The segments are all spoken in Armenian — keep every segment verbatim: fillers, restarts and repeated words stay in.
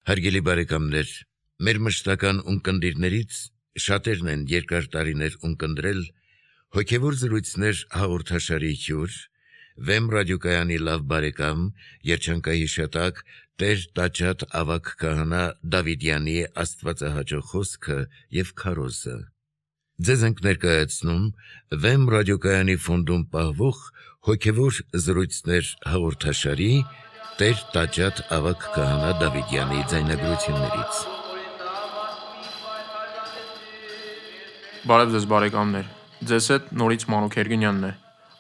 Հարգելի բարեկամներ, մեր մշտական ունկնդիրներից շատերն են երկար տարիներ ունկնդրել հոգևոր զրույցներ հաղորդաշարի հյուր, Վեմ ռադիոկայանի լավ բարեկամ, երջանկահիշատակ Տեր Տաճատ ավագ քահանա Դավիդյանի աստվածահաճո խոսքը եւ քարոզը։ Ձեզ ենք ներկայացնում Վեմ ռադիոկայանի ֆոնդում պահվող հոգևոր զրույցներ հաղորդաշարի Տեր Տաճատ ավագ քահանա Դավիդյանի ձայնագրություններից։ Բարև ձեզ բարեկամներ, ձեզ հետ նորից Մանուկ Երգինյանն է։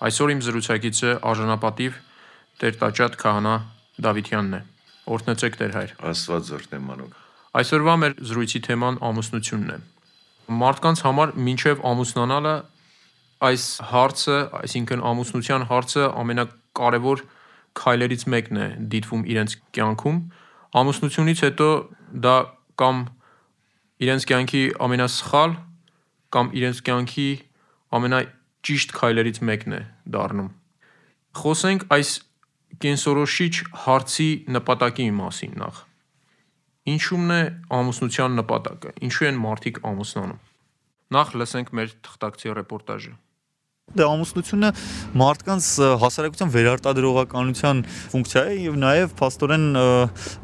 Այսօր իմ զրուցակիցը արժանապատիվ Տեր Տաճատ քահանա Դավիդյանն է։ Օրհնեցեք Տեր հայր։ Աստված օրհնե Մանուկ։ Այսօրվա մեր զրույցի թեման ամուսնությունն է։ Մարդկանց համար մինչև ամուսնանալը այս հարցը, այսինքն ամուսնության հարցը ամենակարևոր քայլերից մեկն է դիտվում իրենց կյանքում։ Ամուսնությունից հետո դա կամ իրենց կյանքի ամենասխալ կամ իրենց կյանքի ամենաճիշտ քայլերից մեկն է դառնում։ Խոսենք այս կենսորոշիչ հարցի նպատակի մասին նախ։ Ինչու՞մն է ամուսնության նպատակը։ Ինչու են մարդիկ ամուսնանում։ Նախ լսենք մեր թղթակցի ռեպորտաժը։ Դե ամուսնությունը մարդկանց հասարակության վերարտադրողականության ֆունկցիա է եւ նաեւ փաստորեն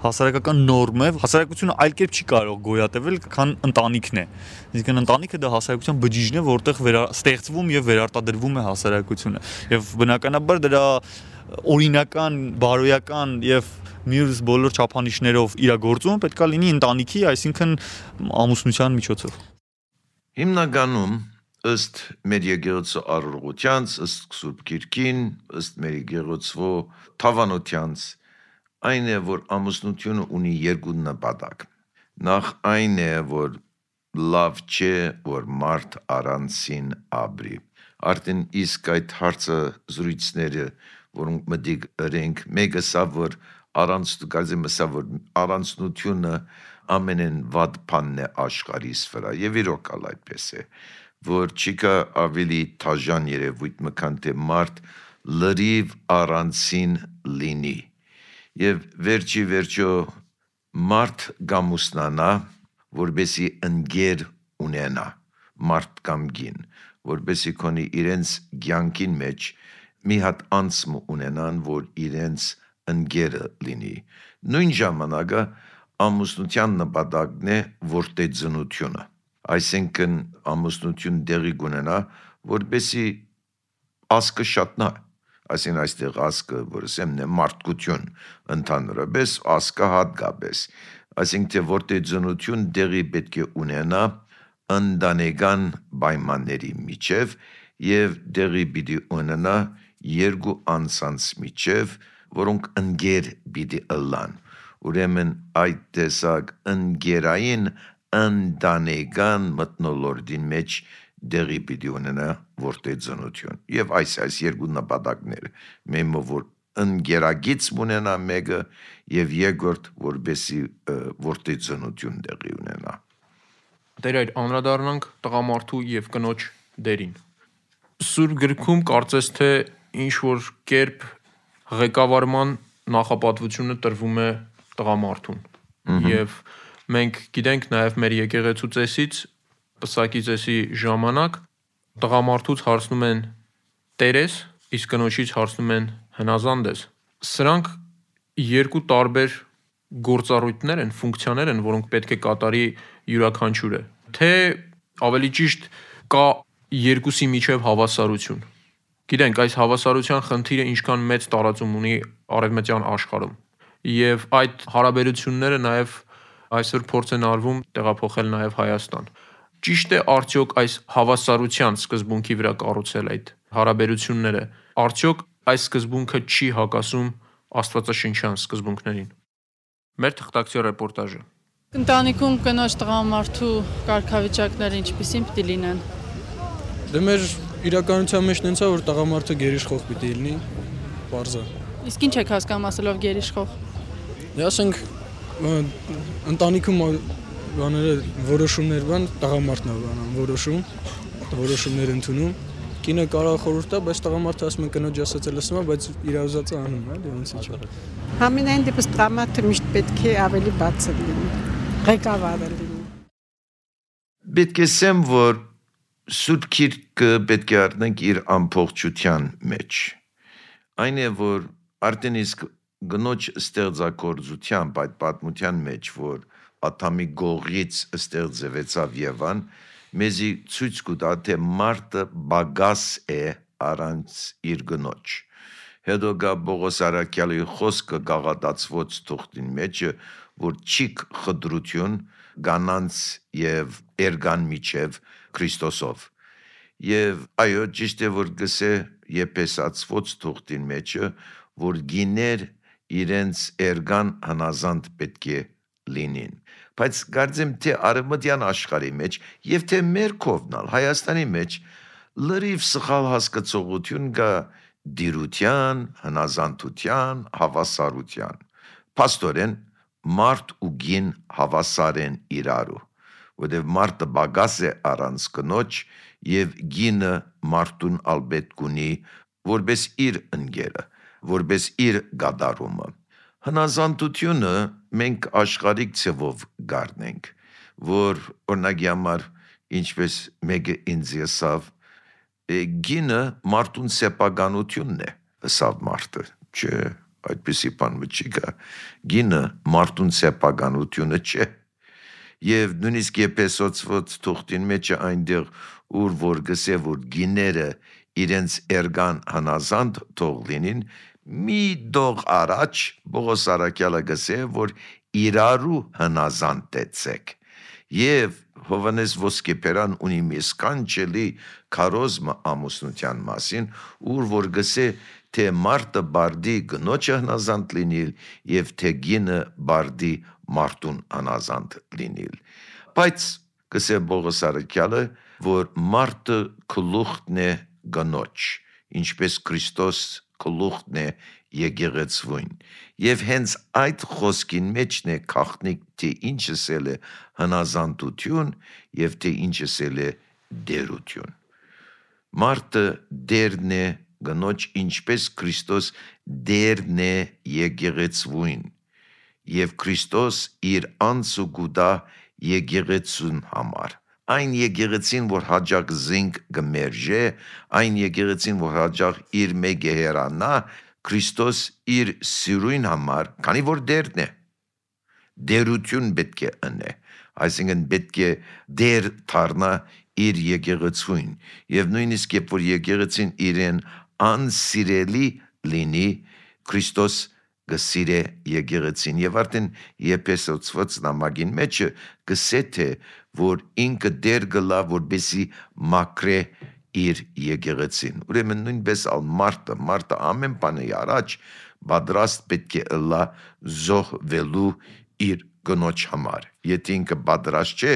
հասարակական նորմ է։ Հասարակությունը այլ կերպ չի կարող գոյատևել, քան ընտանիքն է։ Այսինքն ընտանիքը դա հասարակության բջիջն է, որտեղ ստեղծվում եւ վերարտադրվում է հասարակությունը։ Եվ բնականաբար դրա օրինական, բարոյական եւ մյուս բոլոր չափանիշներով իրագործումը պետք է լինի ընտանիքի, այսինքն ամուսնության միջոցով։ Հիմնականում ըստ մեր եկեղեցու առողջության, ըստ Սուրբ Գիրքին, ըստ մեր եկեղեցու թավանությանց, այն է, որ ամուսնությունը ունի երկու նպատակ։ Նախ այն է, որ լավ չէ, որ մարդ առանցին ապրի։ Արդեն իսկ այդ հարցը զրույցները, որոնք մտիկ ըրենք, մեկը սա, որ առանց կարծեմ սա, որ առանցնությունը ամենեն վատ բանն է աշխարհիս վրա, եւ իրոք այդպես է, որ չկա ավելի թաժան երևույթ մքան թե մարդ լրիվ առանցին լինի եւ վերջի վերջո մարդ գամուսնանա, որբեսի ընկեր ունենա մարդ կամ գին, որբեսի քոնի իրենց ցանկին մեջ մի հատ անցմ ունենան, որ իրենց ընկերը լինի։ Նույն ժամանակը ամուսնության նպատակն է որդեծնությունը, այսինքն ամուսնություն դեղի կունենա, որբեսի ասկը շատնա, այսինքն այստեղ ասկը, որ ասեմ, մարդկություն ընդհանրապես, ասկը հատկապես, այսինքն թե որդեծնություն դեղի պետք է ունենա ընտանեկան պայմանների միջև եւ դեղի պիտի ունենա երկու անձանց միջև, որոնք ընկեր պիտի ըլլան։ Ուրեմն այդ տեսակ ընկերային ընտանեկան մթնոլորտին մեջ դեղի պիտի ունենա որդեծնություն։ Եվ այս այս երկու նպատակները, մեմը որ ընկերագից ունենա մեկը եւ երկրորդ որբեսի որդեծնություն դեղի ունենա։ Դեր այդ անդրադառնանք տղամարդու եւ կնոջ դերին։ Սուրբ գրքում կարծես թե ինչ որ կերպ ղեկավարման նախապատվությունը տրվում է տղամարդուն։ Եվ մենք գիտենք նաև մեր եկեղեցու ծեսից, պսակի ծեսի ժամանակ տղամարդուց հարցնում են տերես, իսկ կնոջից հարցնում են հնազանդ ես։ Սրանք երկու տարբեր գործառույթներ են, ֆունկցիաներ են, որոնք պետք է կատարի յուրաքանչյուրը։ Թե ավելի ճիշտ կա երկուսի միջև հավասարություն։ Գիտենք, այս հավասարության խնդիրը ինչքան մեծ տարածում ունի արևմտյան աշխարհում։ Եվ այդ հարաբերությունները նաև այսօր փորձ են արվում տեղափոխել նաև Հայաստան։ Ճիշտ է արդյոք այս հավասարության սկզբունքի վրա կառուցել այդ հարաբերությունները։ Արդյոք այս սկզբունքը չի հակասում աստվածաշնչյան սկզբունքներին։ Մեր թղթակցի ռեպորտաժը։ Ընտանիքում կնոջ տղամարդու կարգավիճակները ինչպիսին պիտի լինեն։ Դե մեր իրականության մեջ նենց է, որ տղամարդը գերիշխող պիտի լինի, պարզ է։ Իսկ ինչ եք հասկանում ասելով գերիշխող։ Դե ասենք ընտանիքում բաները որոշումներ բան տղամարդն է բանան որոշում, որոշումներ ընդունում, Կինը կարող խորհուրդ տա, բայց տղամարդը ասում է կնոջ ասածը լսում է, բայց իր ուզածը անում է, դե ոնց է։ Համենայն դեպս տղամարդը միշտ պետք է ավելի բաց լինի, ղեկավարը լինի։ Պետք է ասեմ, որ Սուրբ Գիրքը պետք է առնենք իր ամբողջության մեջ։ Այն է, որ արդեն իսկ գնոջ ստեղծագործությամբ այդ պատմության մեջ, որ Ադամի գողից ստեղծվեցավ Եվան, մեզի ցույց կտա, թե մարդը բագաս է առանց իր գնոջ։ Հետո գա Պողոս առաքյալի խոսքը գաղատացված թուղթին մեջ, որ չիկ խդրություն գանանց եւ էրգան միջև Քրիստոսով։ Եվ այո, ճիշտ է, որ գսե Եփեսացված թուղթին մեջ, որ գիներ իրենց էրգան հնազանդ պետք է լինին։ Բայց կարծեմ, թե արևմտյան աշխարհի մեջ եւ թե մեր կողմնալ Հայաստանի մեջ լրիվ սխալ հասկացողություն կա դիրության, հնազանդության, հավասարության։ Պաստորեն մարդ ու գին հավասար են իրարու, որտեղ մարդը բագաս է առանց կնոջ եւ գինը մարդուն ալբետ կունի որպես իր ընկերը, որպես իր գադարումը։ Հնազանդությունը մենք աշխարհիկ ցևով գարնենք, որ օրինակի համար ինչպես մեկը ինձ եսավ, գինը մարդուն սեփականությունն է, ըսավ մարդը, չէ, այդպիսի բան չի կա, գինը մարդուն սեփականությունը չէ, եւ նույնիսկ Եփեսոց թուղթին մեջ այնտեղ ուր որ գսե որ գիները իրենց էրգան հնազանդ թող լինին, մի դող առաջ Պողոս առաքյալը գսե որ իրարու հնազանդեցեք եւ Հովանես Ոսկեփերան ունի մի սքանչելի քարոզմը ամուսնության մասին, ուր որ գսե թե մարդը բարդի գնոջը հնազանդ լինիլ եւ թե գինը բարդի մարդուն հնազանդ լինիլ։ Բայց գսե Պողոս առաքյալը որ մարդը գլուխն է գնոջ, ինչպես Քրիստոս գլուխն է եկեղեցվուն, եւ հենց այդ խոսքին մեջն է քաղտնիկ թե ինչս էլ է հնազանդություն եւ թե ինչս էլ է դերություն։ Մարդը դերն է գնոջ, ինչպես Քրիստոս դերն է եկեղեցվուն, եւ Քրիստոս իր անձը գուտա եկեղեցուն համար։ Այն եկեղեցին, որ հաջող զինք գմերժե, այն եկեղեցին, որ հաջող իր մեկ հերանա, Քրիստոս իր սիրուն համար, քանի որ դերն է, դերություն պետք է ընե, այսինքն պետք է դեր դառնա իր եկեղեցուն, եւ նույնիսկ երբ որ եկեղեցին իրեն անսիրելի լինի, Քրիստոս գսիրե եկեղեցին եւ արդեն Եփեսոց նամակին մեջ գսե թե որ ինքը դեր գլա որբեսի մակրե իր եկեղեցին։ Ուրեմն նույնպես ալ մարդը, մարդը ամեն բանի առաջ պատրաստ պետք է ըլլա զոհվելու իր գնոջ համար։ Եթե ինքը պատրաստ չէ,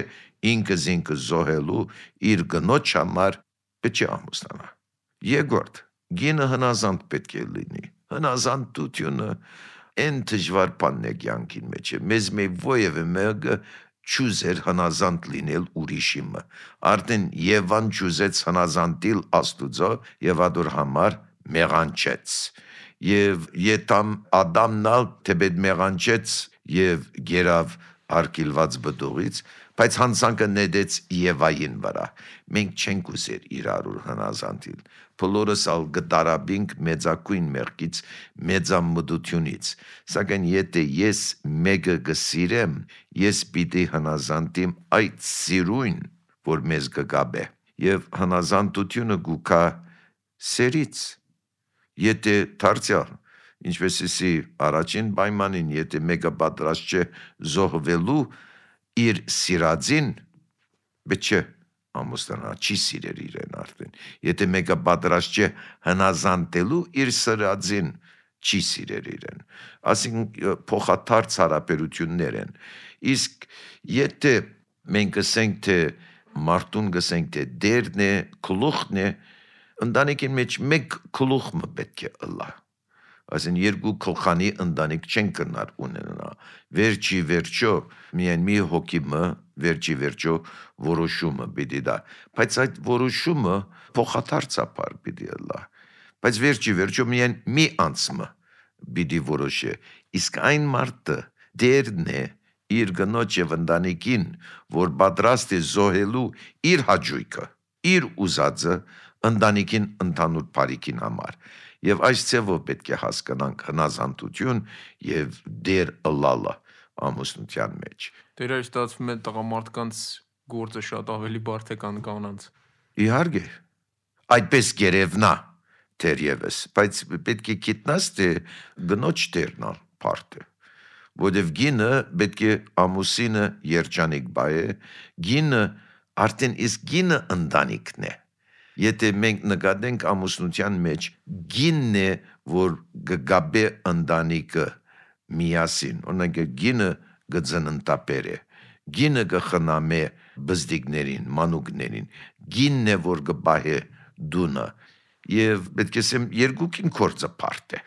ինքը զինքը զոհելու իր գնոջ համար պետք է ամուսնանա։ Երկրորդ, գինը հնազանդ պետք է լինի։ Հնազանդությունը այն դժվար բանն է կյանքին մեջ։ Մեզ մի ովևէ մեկը չուզեր հնազանդ լինել ուրիշիմը։ Արդեն Եվան չուզեց հնազանդիլ Աստուծո եւ ադոր համար մեղանչեց։ Եվ ետամ Ադամնալ թեպետ մեղանչեց եւ գերավ արկիլված բդուղից, բայց հանցանքը նետեց Եվային վրա։ Մենք չենք ուզեր իրարու հնազանդիլ։ Բոլորս ալ գտարաբինք մեծակույն մեղքից, մեծամտությունից։ Սակայն եթե ես մեկը գսիրեմ, ես պիտի հնազանդիմ այդ սիրուն, որ մեզ կգաբե։ Եվ հնազանդությունը գուկա սերից։ Եթե դարձյալ, ինչպես էսի առաջին պայմանին, եթե մեկը պատրաստ չէ զոհվելու իր սիրածին, պետք չէ ամուսնանա, չի սիրեր իրեն արդեն։ Եթե մեկը պատրաստ չէ հնազանդելու իր սիրածին, չի սիրեր իրեն։ Այսինքն փոխադարձ հարաբերություններ են։ Իսկ եթե մենք ասենք թե մարդուն գսենք թե դերն է, գլուխն է, ընտանիքին մեջ մեկ գլուխը պետք է ըլլա։ Այսին երկու քլխանի ընտանիք չեն կնար ունենա։ Վերջի վերջո միայն մի հոգիմը վերջի վերջո որոշումը պիտի դա։ Բայց այդ որոշումը փոխադարձաբար պիտի լա։ Բայց վերջի վերջո միայն մի անձը պիտի որոշի։ Իսկ այն մարդը դերն է իր գնոջ եւ ընտանիքին, որ պատրաստ է զոհելու իր հաճույքը, իր ուզածը ընտանիքին ընդհանուր բարիքին համար։ Եվ այս ձևով պետք է հասկանանք հնազանդություն եւ դեր ըլլալը ամուսնության մեջ։ Դեր այս ստացվում է տղամարդկանց գործը շատ ավելի բարդ է կան կանանց։ Իհարկե, այդպես գերևնա թերևս, բայց պետք է գիտնաս թե գնոջ դերն է բարդը։ Որովհետև գինը պետք է ամուսինը երջանիկ բայ է, գինը արդեն իսկ գինը ընտանիքն է։ Եթե մենք նկատենք ամուսնության մեջ գինն է, որ գգաբե ընտանիքը միասին, օրինակ գինը գծնընտապեր է, գինը գխնամե բզդիկներին, մանուկներին, գինն է, որ գբահե դունը, եւ պետք է ասեմ երկուքին կորձը բարդ է։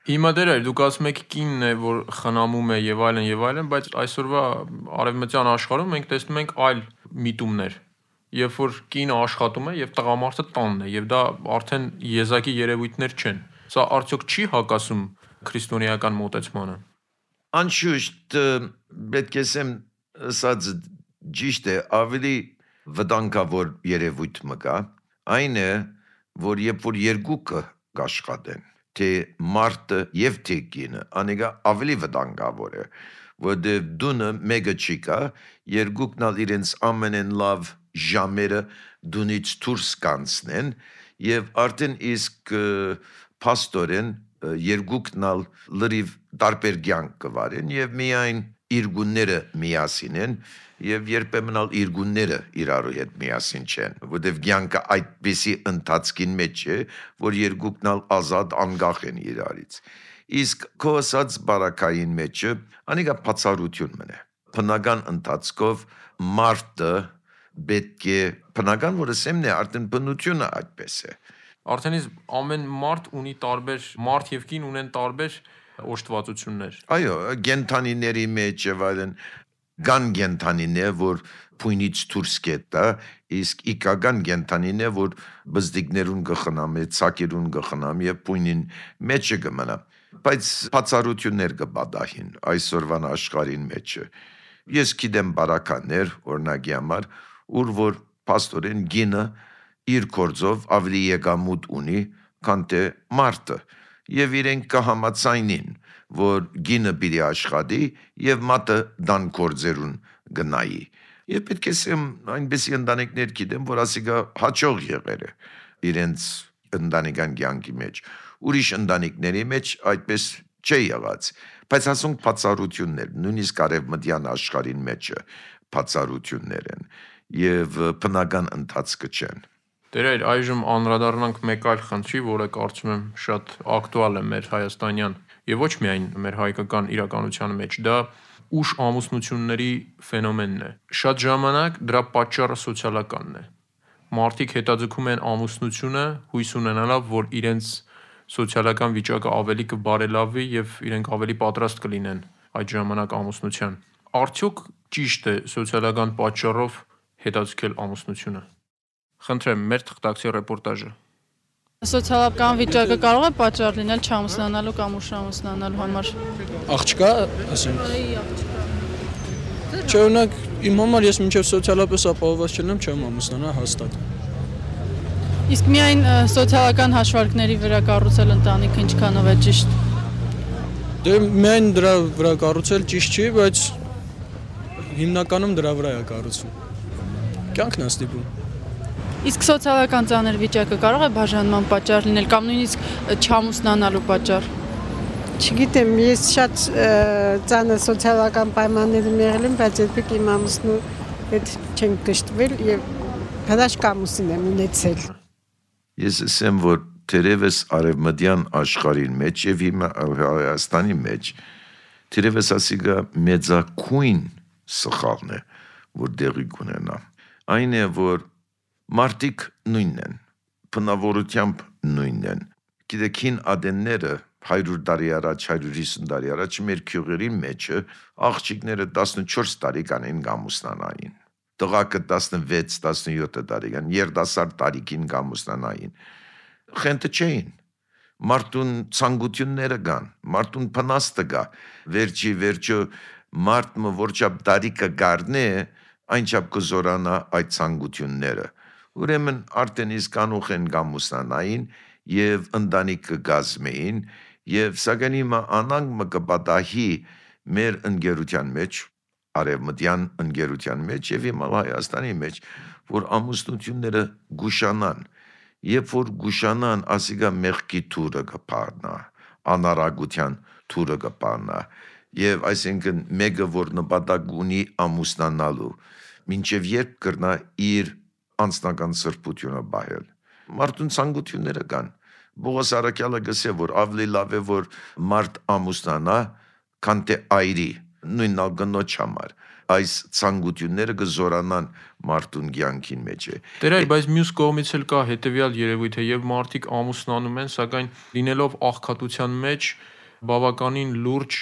Հիմա դեր այլ դուք ասում եք կինն է, որ խնամում է եւ այլն եւ այլն, բայց այսօրվա արևմտյան աշխարհում մենք տեսնում ենք այլ միտումներ։ Երբ որ կինը աշխատում է եւ տղամարդը տանն է եւ դա արդեն եզակի երևույթներ չեն։ Սա արդյոք չի հակասում քրիստոնեական մոտեցմանը։ Անշուշտ պետք է ասեմ, ասած ճիշտ է, ավելի վտանգավոր երևույթ մը կա, այն է, որ երբ որ երկուքը կաշխատեն, թե մարդը եւ թե կինը, անիկա ավելի վտանգավոր է, որովհետեւ դունը մեկը չի կա, երկուքն ալ իրենց ամենեն լավ ժամերը դունից դուրս կանցնեն եւ արդեն իսկ փաստորեն երկուքն ալ լրիվ տարբեր կյանք կվարեն եւ միայն իրգունները միասին են եւ երբեմն ալ իրգունները իրարու հետ միասին չեն, որովհետեւ կյանքը այդպիսի ընթացքին մեջ է, որ երկուքն ալ ազատ անգախ են իրարից։ Իսկ քո ասած բարակային մեջը անիկա բացառություն մնա։ Բնական ընթացքով մարդը պետք է բնական որ ասեմն է արդեն բնությունը այդպես է։ Արդեն իսկ ամեն մարդ ունի տարբեր մարդ եւ կին ունեն տարբեր օժտվածություններ։ Այո, գենթանիների մեջ եւ այլն գան գենթանին է, որ փույնից դուրս կետա, իսկ իքական գենթանին է, որ բզդիկներուն գխնամ, ցակերուն գխնամ եւ փույնին մեջը գմնա։ Բայց բացառություններ կբադահին այսօրվան աշխարհին մեջը։ Ես գիտեմ բարականներ, օրինակի համար, ուր որ պաստորեն գինը իր կորձով ավելի եկամուտ ունի, քան թե մարդը, եւ իրենք կհամաձայնին, որ գինը պիտի աշխատի եւ մատը դան կորձերուն գնայի։ Եվ պետք է ասեմ, այնպեսի ընտանիքներ գիտեմ, որ ասիկա հաջող եղել է իրենց ընտանեկան կյանքի մեջ։ Ուրիշ ընտանիքների մեջ այդպես չի եղած, բայց ասենք բացառություններ, նույնիսկ արևմտյան աշխարհին մեջը բացառություններ են եւ բնական ընթացքը չեն։ Դեր այլ այժմ անդրադառնանք մեկ այլ խնդրի, որը կարծում եմ շատ ակտուալ է մեր հայաստանյան եւ ոչ միայն մեր հայկական իրականության մեջ, դա ուշ ամուսնությունների ֆենոմենն է։ Շատ ժամանակ դրա պատճառը սոցիալականն է։ Մարդիկ հետաձգում են ամուսնությունը հույս ունենալով, որ իրենց սոցիալական վիճակը ավելի կբարելավի եւ իրենք ավելի պատրաստ կլինեն այդ ժամանակ ամուսնության։ Արդյոք ճիշտ է սոցիալական պատճառով հետաձգել ամուսնությունը։ Խնդրեմ, մեր թղթակցի ռեպորտաժը։ Սոցիալական վիճակը կարող է պատճառ լինել չամուսնանալու կամ ուշ ամուսնանալու համար։ Աղջկա, ասենք։ Չէ, օրինակ, իմ համար ես մինչև սոցիալապես ապահովված չլինեմ, չեմ ամուսնանա հաստատ։ Իսկ միայն սոցիալական հաշվարկների վրա կառուցել ընտանիքը ինչքանով է ճիշտ։ Դե միայն դրա վրա կառուցել ճիշտ չի, բայց հիմնականում դրա վրա է կառուցվում։ Կյանքն է ստիպում։ Իսկ սոցիալական ծանր վիճակը կարող է բաժանման պատճառ լինել կամ նույնիսկ չամուսնանալու պատճառ։ Չգիտեմ, ես շատ ծանր սոցիալական պայմաններում եղել եմ, բայց երբեք իմ ամուսնու հետ չենք գշտվել եւ հրաշք ամուսին եմ ունեցել։ Ես ասեմ, որ թերևս արևմտյան աշխարհին մեջ եւ հիմա Հայաստանի մեջ թերևս ասիգա մեծակույն սխալն է, որ դեղի կունենա։ Այն է, որ մարդիկ նույնն են, բնավորությամբ նույնն են։ Գիտեք, հին ադենները հարյուր տարի առաջ, հարյուր հիսուն տարի առաջ մեր քյուղերի մեջը աղջիկները տասնչորս տարեկան են գամուսնանային։ Տղակը տասնվեց տասնյոթ տարեկան, երիտասարդ տարիքին գամուսնանային։ Խենթը չէին։ Մարդուն ցանկությունները կան, մարդուն փնաստը կա։ Վերջի վերջո մարդը որչափ տարիքը գարնե, այնչափ կզորանա այդ ցանկությունները։ Ուրեմն արդեն իսկ անուխ են գամուսնանային եւ ընտանիքը գազմեին եւ սակայն հիմա անանգ կպատահի մեր ընկերության մեջ, արևմտյան ընկերության մեջ եւ հիմա Հայաստանի մեջ, որ ամուսնությունները գուշանան, երբ որ գուշանան, ասիկա մեղքի թուրը կփառնա, անարագության թուրը կփառնա եւ այսինքն մեկը որ նպատակ ունի ամուսնանալու, մինչեւ երբ կրնա իր անձնական սրբությունը բայել։ Մարդուն ցանկությունները կան։ Բողոս Արաքյալը գսե որ ավելի լավ է որ մարդ ամուսնանա, քան թե այրի, նույնն ալ գնոջ համար։ Այս ցանկությունները կզորանան մարդուն կյանքին մեջ է։ Տերայր, բայց մյուս կողմից էլ կա հետեւյալ երևույթ է, եւ մարդիկ ամուսնանում են, սակայն լինելով աղքատության մեջ բավականին լուրջ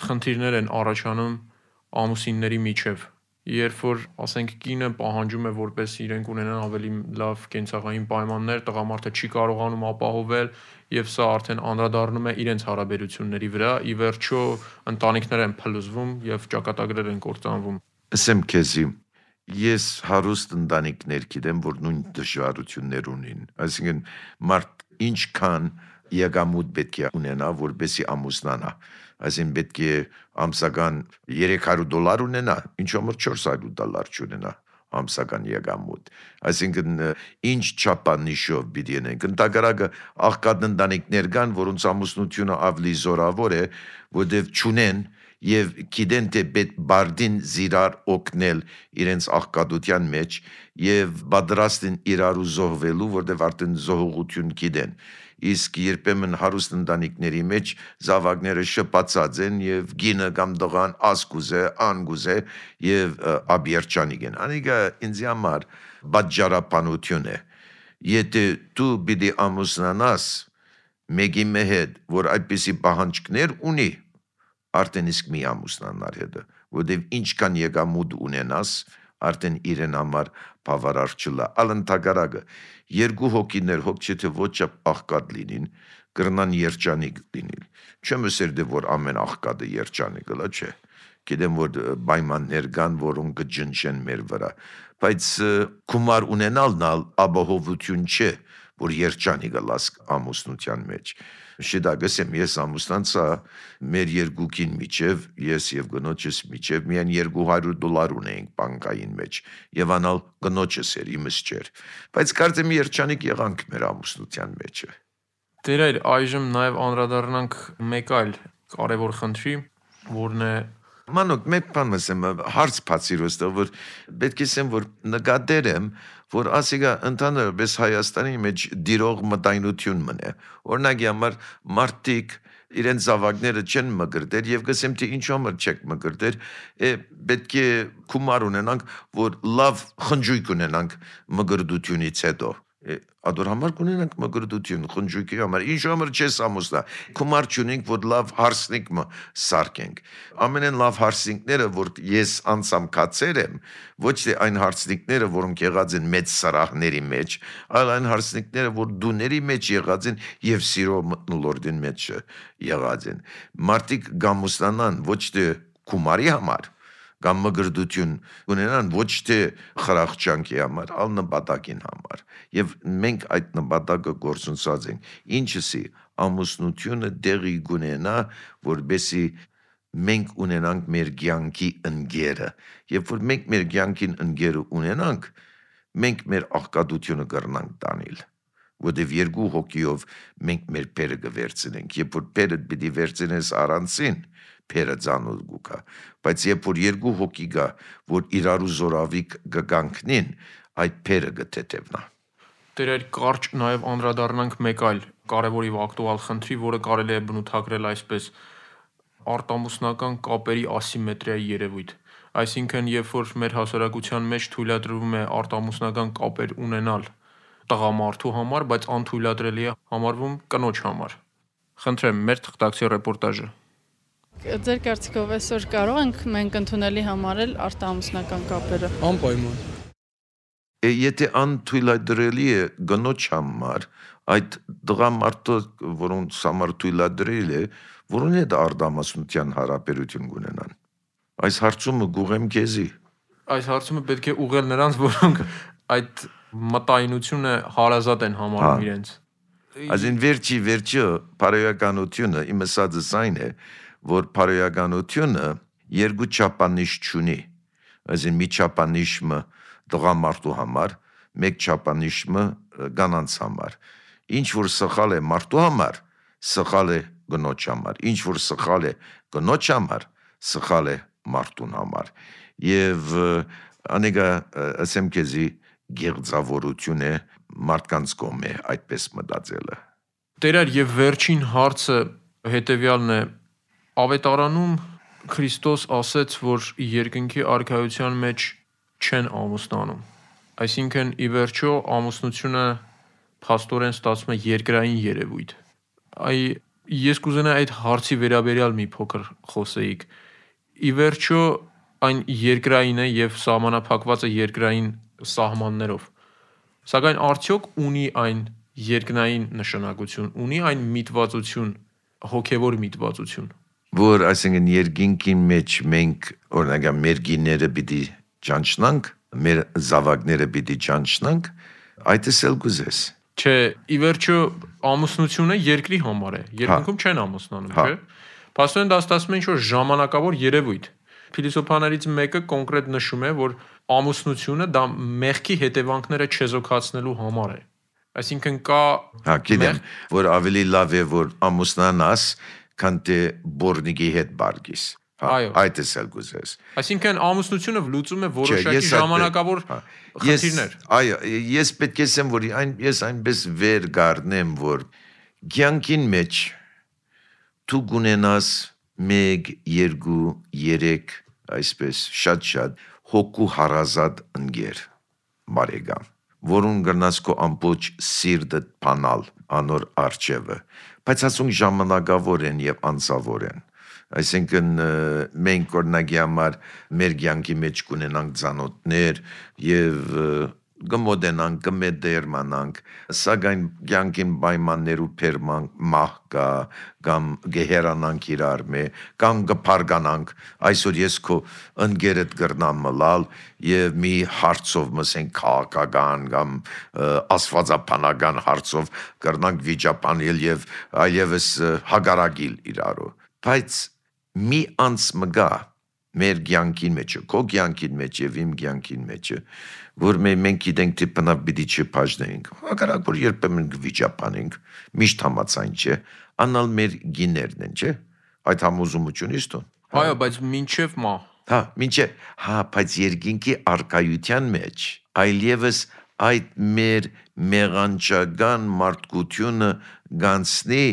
խնդիրներ են առաջանում ամուսինների միջև։ Երբ որ, ասենք, կինը պահանջում է, որպես իրենք ունենան ավելի լավ կենցաղային պայմաններ, տղամարդը չի կարողանում ապահովել, եւ սա արդեն անդրադառնում է իրենց հարաբերությունների վրա, ի վերջո ընտանիքներ են փլուզվում եւ ճակատագրեր են կործանվում։ Ասեմ քեզի, ես հարուստ ընտանիքներ գիտեմ, որ նույն դժվարություններ ունին։ Այսինքն մարդ ինչքան եկամուտ պետք է ունենա, որպեսզի ամուսնանա։ Այսինքն պետք է ամսական երեք հարյուր դոլար ունենա, ինչ որ չորս հարյուր դոլար չունենա ամսական եկամուտ։ Այսինքն ինչ չափանիշով պիտի ունենք։ Ընդհանրակը աղքատ ընտանիքներ կան, որոնց ամուսնությունը ավելի զորավոր է, որտեղ չունեն եւ գիտեն թե պետք բարդին զիրար օգնել իրենց աղքատության մեջ եւ պատրաստ են իրար զոհվելու, որտեղ արդեն զոհողություն գիտեն։ Իսկ երբեմն հարուստ ընտանիքների մեջ զավակները շփացած են եւ գինը կամ դղան ասկուզե, անգուզե եւ աբիերջանիկ են։ Անիկա ինձ համար բաժարապանություն է։ Եթե դու պիտի ամուսնանաս մեկի հետ, որ այդպիսի պահանջներ ունի, արդեն իսկ մի ամուսնանար հետը, որտեղ ինչքան եկամուտ ունենաս, արդեն իրեն համար բավարար չլա։ Ալընթագարակը երկու հոգիներ հոգ չէ ոչ աղքատ լինին, կրնան երջանիկ լինել։ Չեմ ասել դե որ ամեն աղքատը երջանիկ լա, չէ։ Գիտեմ որ պայմաններ կան, որոնք կջնջեն մեր վրա, բայց գումար ունենալն ապահովություն չէ, որ երջանիկ լաս ամուսնության մեջ։ Շիդագսեմ ես ամուսնանցա մեր երկուքին միջև, ես եւ գնոջս միջև միայն երկու հարյուր դոլար ունեինք բանկային մեջ եւ անալ գնոջս էր իմս չէր, բայց կարծեմ երջանիկ եղանք մեր ամուսնության մեջը։ Տերայր, այժմ նաեւ անդրադառնանք մեկ այլ կարևոր խնդրի, որն է Մանոք, մեկ բան ասեմ, հարց բացիր ոստեղ, որ պետք է ասեմ, որ նկատել եմ, որ ասիկա ընդհանրապես Հայաստանի մեջ դիրող մտայնություն մնե։ Օրինակ համար մարդիկ իրենց զավակները չեն մկրտել եւ գսեմ թե ինչ համար չեք մկրտել, պետք է գումար ունենանք, որ լավ խնջույք ունենանք մկրտությունից հետո։ Ադոր համար կունենանք մկրտություն խնջույքի համար, ինչ համար չես ամուսնա, գումար չունենք, որ լավ հարսնիկ սարքենք։ Ամենեն լավ հարսնիկները, որ ես անցամ կացել եմ, ոչ թե այն հարսնիկները, որոնք եղած են մեծ սարահների մեջ, այլ այն հարսնիկները, որ դուների մեջ եղած են եւ սիրո մտնոլորտին մեջ եղած են։ Մարդիկ գամուսնանան ոչ թե գումարի համար, կամ մգրդություն ունենան ոչ թե խրախճանքի համար, այլ նպատակին համար։ Եվ մենք այդ նպատակը գործունեած ենք։ Ինչսի ամուսնությունը դեղի գունենա, որբեսի մենք ունենանք մեր կյանքի ընկերը։ Երբ որ մենք մեր կյանքին ընկերը ունենանք, մենք մեր աղքատությունը կրնանք տանել։ Որտեւ երկու հոգիով մենք մեր բերը կվերցնենք։ Երբ որ բերը պիտի վերցնես առանցին, Փերը ցանոթ գուկա, բայց երբ որ երկու հոգի գա, որ իրարու զորավիկ գանքնին, այդ փերը գտետևնա։ Տերեր կարճ նաև անդրադառնանք մեկ այլ կարևոր եւ ակտուալ խնդրի, որը կարելի է բնութագրել այսպես արտամուսնական կապերի ասիմետրիայի երևույթ։ Այսինքն, երբ որ մեր հասարակության մեջ թույլատրվում է արտամուսնական կապեր ունենալ տղամարդու համար, բայց անթույլատրելի է համարվում կնոջ համար։ Խնդրեմ, մեր թղթակցի ռեպորտաժը։ Ձեր կարծիքով այսօր կարող ենք մենք ընդունելի համարել արտահամուսնական կապերը։ Անպայման։ Եթե անթույլատրելի է գնոջ համար, այդ դղամարդը, որոնց համար թույլատրել է, որոնց հետ արտահամասնության հարաբերություն կունենան։ Այս հարցումը գուղեմ քեզի։ Այս հարցումը պետք է ուղղել նրանց, որոնք այդ մտայնությունը հարազատ են համարում իրենց։ Այսին վերջի վերջը բարոյականությունը իմ ասածս այն է, որ բարոյականությունը երկու չափանիշ չունի։ Այսին մի չափանիշը դղամարդու համար, մեկ չափանիշը կանանց համար։ Ինչ որ սխալ է մարդու համար, սխալ է գնոջ համար։ Ինչ որ սխալ է գնոջ համար, սխալ է մարդուն համար։ Եվ անեգա ասեմ քեզի գեղձավորություն է մարդկանց կողմէ այդպես մտածելը։ Տերար, եւ վերջին հարցը հետեւյալն է. Ավետարանում Քրիստոս ասեց, որ երկնքի արքայության մեջ չեն ամուսնանում։ Այսինքն ի վերջո ամուսնությունը փաստորեն ստացվում է երկրային երևույթ։ Այ ես կուզենայի այդ հարցի վերաբերյալ մի փոքր խոսեիք։ Ի վերջո այն երկրային է եւ սահմանափակված է երկրային սահմաններով։ Սակայն արդյոք ունի այն երկնային նշանակություն, ունի այն միտվածություն, հոգևոր միտվածություն։ Որ այսինքն երկինքի մեջ մենք օրինակ մեր գիները պիտի ճանչնանք, մեր զավակները պիտի ճանչնանք, այդ էլ գուզես։ Չէ, ի վերջո ամուսնությունը երկրի համար է։ Երկնքում չեն ամուսնանում, չէ՞։ Փաստորեն դա ստացվում է ինչ-որ ժամանակավոր երևույթ։ Փիլիսոփաներից մեկը կոնկրետ նշում է, որ ամուսնությունը դա մեղքի հետևանքները չեզոքացնելու համար է։ Այսինքն կա Հա, գիտեմ, որ ավելի լավ է որ ամուսնանաս, քան թե բորնիկի հետ բարգիս։ Այդ էլ գուզես։ Այսինքն ամուսնությունը լուծում է որոշակի ժամանակավոր խնդիրներ։ Այո, ես պետք է ասեմ, որ այն ես այնպես վեր գառնեմ, որ կյանքին մեջ դու գունենաս մեկ, երկու, երեք, այսպես շատ-շատ հոգու հարազատ ընկեր, բարեկամ, որուն գրնաս քո ամբողջ սիրտը փանալ անոր արջևը, բայց ասում ժամանակավոր են եւ անցավոր են։ Այսինքն մենք օրինակի համար մեր կյանքի մեջ կունենանք ծանոթներ եւ գմոդենանք, գմեդերմանանք, սակայն կյանքին պայմաններ ու փերման մահ կա, կամ գեհերանանք իրար մե, կամ գփարգանանք, այսօր ես քո ընկերդ գրնամ մլալ եւ մի հարցով մսենք քաղաքական կամ աստվածապանական հարցով գրնանք վիճապանել եւ այլևս հագարագիլ իրարու, բայց մի անց մգա մեր կյանքին մեջը, քո կյանքին մեջ եւ իմ կյանքին մեջը, որ մենք գիտենք թե բնավ պիտի չփաժնենք, հակառակ որ երբեմն գվիճապանենք, միշտ համացայն չէ, անալ մեր գիներն են, չէ, այդ համոզումությունից դու։ Այո, բայց մինչև մահ։ Հա, մինչև, հա, բայց երկինքի արկայության մեջ, այլևս այդ մեր մեղանչական մարդկությունը գանցնի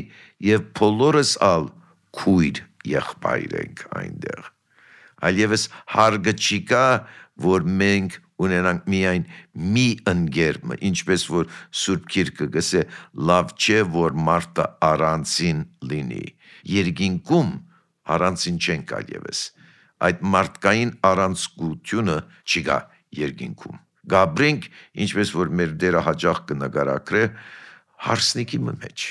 եւ բոլորս ալ քույր եղբայր ենք այնտեղ։ Այլևս հարգը չի կա, որ մենք ունենանք միայն մի ընկեր, ինչպես որ Սուրբ Գիրքը գսե լավ չէ, որ մարդը առանցին լինի։ Երկինքում առանցին չենք այլևս։ Այդ մարդկային առանցքությունը չի գա երկինքում։ Գաբրինք, ինչպես որ մեր դերը հաջող կնկարագրե, հարսնիկի մեջ,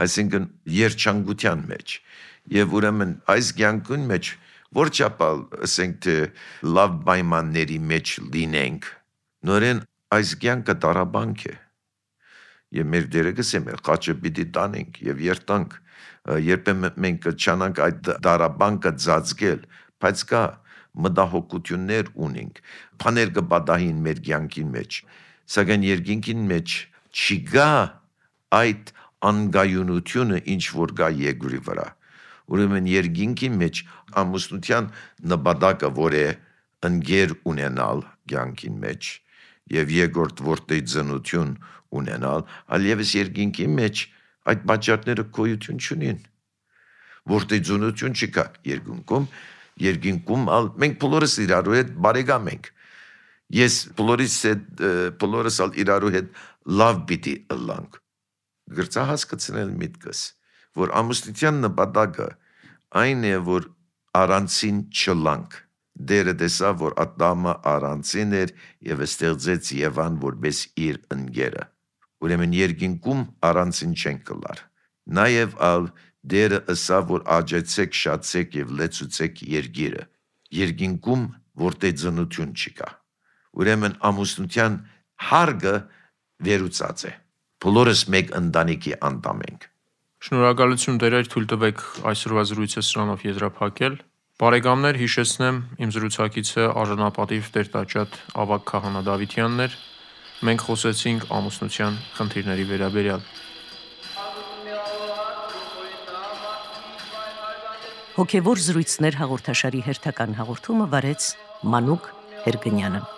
այսինքն երջանկության մեջ։ Եվ ուրեմն այս կյանքին մեջ որ չափալ ասենք թե լավ պայմանների մեջ լինենք, նորեն այս կյանքը տարաբանք է։ Եվ մեր դերը գսեմ է, խաչը պիտի տանենք եւ երտանք, երբեմն մենք չանանք այդ տարաբանկը ծածկել, բայց կա մտահոգություններ ունենք, բաներ կբադահին մեր կյանքին մեջ, սակայն երկինքին մեջ չկա այդ անգայունությունը, ինչ որ կա երկրի վրա։ Ուրեմն երկինքի մեջ ամուսնության նպատակը որ է ընկեր ունենալ կյանքին մեջ եւ երկրորդ որտե ծնություն ունենալ, այլևս երկինքի մեջ այդ պատճառները գոյություն չունին։ Որտե ծնություն չկա երկինքում, երկինքում ալ մենք բոլորս իրարու հետ բարեկամ ենք։ Ես բոլորիս հետ բոլորս ալ իրարու հետ լավ պիտի ըլլանք։ Գրծա հասկացնել միտքս, որ ամուսնության նպատակը այն է, որ առանցին չլանք։ Դերը տեսավ, որ Ադամը առանցին էր եւ ստեղծեց Եվան որպես իր ընկերը։ Ուրեմն երկինքում առանցին չեն կլար։ Նաեւ ալ Դերը ըսավ, որ աջեցեք, շացեք եւ լեցուցեք երկիրը։ Երկինքում որտե ծնություն չկա։ Ուրեմն ամուսնության հարգը վերուցած է։ Բոլորս մեկ ընտանիքի անդամ ենք։ Շնորհակալություն Տերեր, թույլ տվեք այսօրվա զրույցը սրանով եզրափակել։ Բարեկամներ, հիշեցնեմ, իմ զրուցակիցը արժանապատիվ Տեր-Տաճատ Ավագ Քահանա Դավթյանն էր։ Մենք խոսեցինք ամուսնության խնդիրների վերաբերյալ։ Հոգևոր զրույցներ հաղորդաշարի հերթական հաղորդումը վարեց Մանուկ Հերգնյանը։